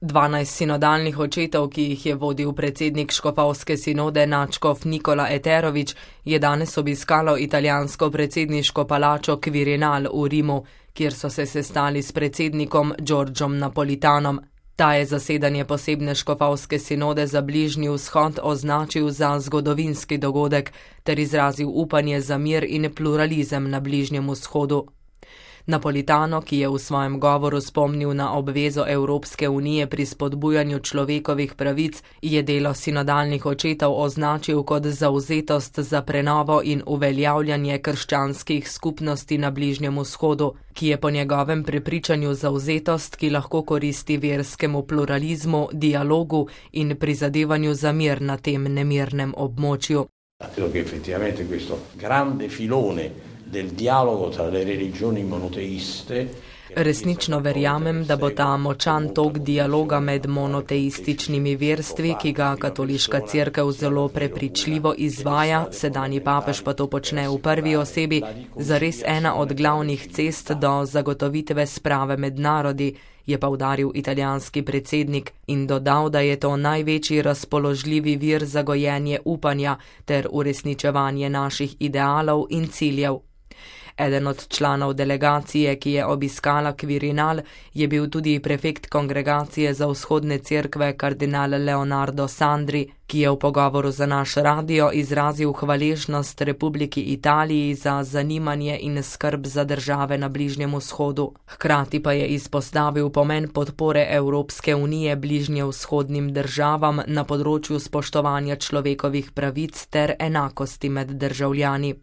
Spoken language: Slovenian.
12 sinodalnih očetov, ki jih je vodil predsednik škofovske sinode nadškof Nikola Eterović, je danes obiskalo italijansko predsedniško palačo Quirinal v Rimu, kjer so se sestali s predsednikom Giorgiom Napolitanom. Ta je zasedanje posebne škofovske sinode za Bližnji vzhod označil za zgodovinski dogodek ter izrazil upanje za mir in pluralizem na Bližnjem vzhodu. Napolitano, ki je v svojem govoru spomnil na obvezo Evropske unije pri spodbujanju človekovih pravic, je delo sinodalnih očetov označil kot zavzetost za prenovo in uveljavljanje krščanskih skupnosti na Bližnjem vzhodu, ki je po njegovem prepričanju zavzetost, ki lahko koristi verskemu pluralizmu, dialogu in prizadevanju za mir na tem nemirnem območju. Credo che effettivamente questo grande filone del dialogo tra le religioni monoteiste. Resnično verjamem, da bo ta močan tok dialoga med monoteističnimi verstvi, ki ga katoliška cerkev zelo prepričljivo izvaja, sedanji papež pa to počne v prvi osebi, zares ena od glavnih cest do zagotovitve sprave med narodi, je poudaril italijanski predsednik in dodal, da je to največji razpoložljivi vir za gojenje upanja ter uresničevanje naših idealov in ciljev. Eden od članov delegacije, ki je obiskala Quirinal, je bil tudi prefekt kongregacije za vzhodne cerkve kardinal Leonardo Sandri, ki je v pogovoru za naš radio izrazil hvaležnost Republiki Italiji za zanimanje in skrb za države na Bližnjem vzhodu. Hkrati pa je izpostavil pomen podpore Evropske unije bližnjevzhodnim državam na področju spoštovanja človekovih pravic ter enakosti med državljani.